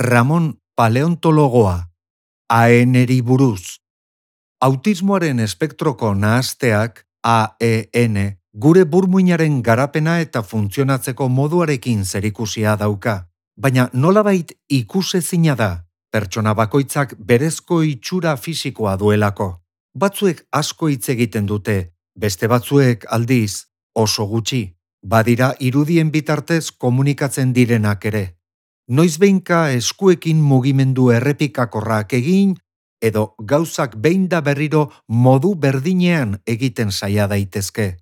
Ramon paleontologoa, AEN-eri buruz. Autismoaren espektroko nahasteak, AEN, gure burmuinaren garapena eta funtzionatzeko moduarekin zerikusia dauka. Baina nolabait ikusezina da, pertsona bakoitzak berezko itxura fisikoa duelako. Batzuek asko hitz egiten dute, beste batzuek aldiz oso gutxi. Badira irudien bitartez komunikatzen direnak ere. Noizbehinka eskuekin mugimendu errepikakorrak egin, edo gauzak behin da berriro modu berdinean egiten saia daitezke.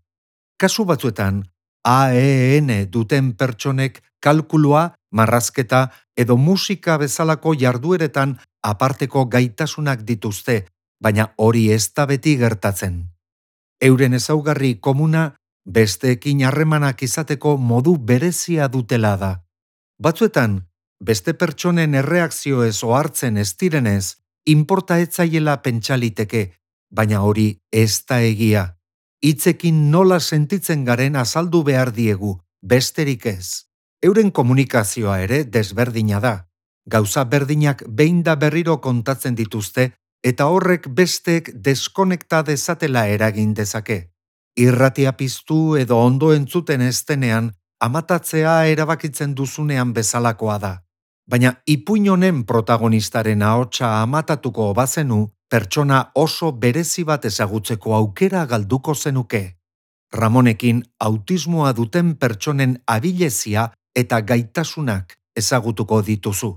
Kasu batzuetan, AEN duten pertsonek kalkulua, marrazketa edo musika bezalako jardueretan aparteko gaitasunak dituzte, baina hori ez da beti gertatzen. Euren ezaugarri komuna besteekin harremanak izateko modu berezia dutela da. Batzuetan, beste pertsonen erreakzioez ohartzen ez direnez, inporta etzaiela pentsaliteke, baina hori ez da egia. Hitzekin nola sentitzen garen azaldu behar diegu, besterik ez. Euren komunikazioa ere desberdina da. Gauza berdinak behin da berriro kontatzen dituzte, eta horrek besteek deskonekta dezatela eragin dezake. Irratia piztu edo ondo entzuten ez denean, amatatzea erabakitzen duzunean bezalakoa da. Baina ipuin honen protagonistaren ahotsa amatatuko bazenu, pertsona oso berezi bat ezagutzeko aukera galduko zenuke. Ramonekin autismoa duten pertsonen abilezia eta gaitasunak ezagutuko dituzu.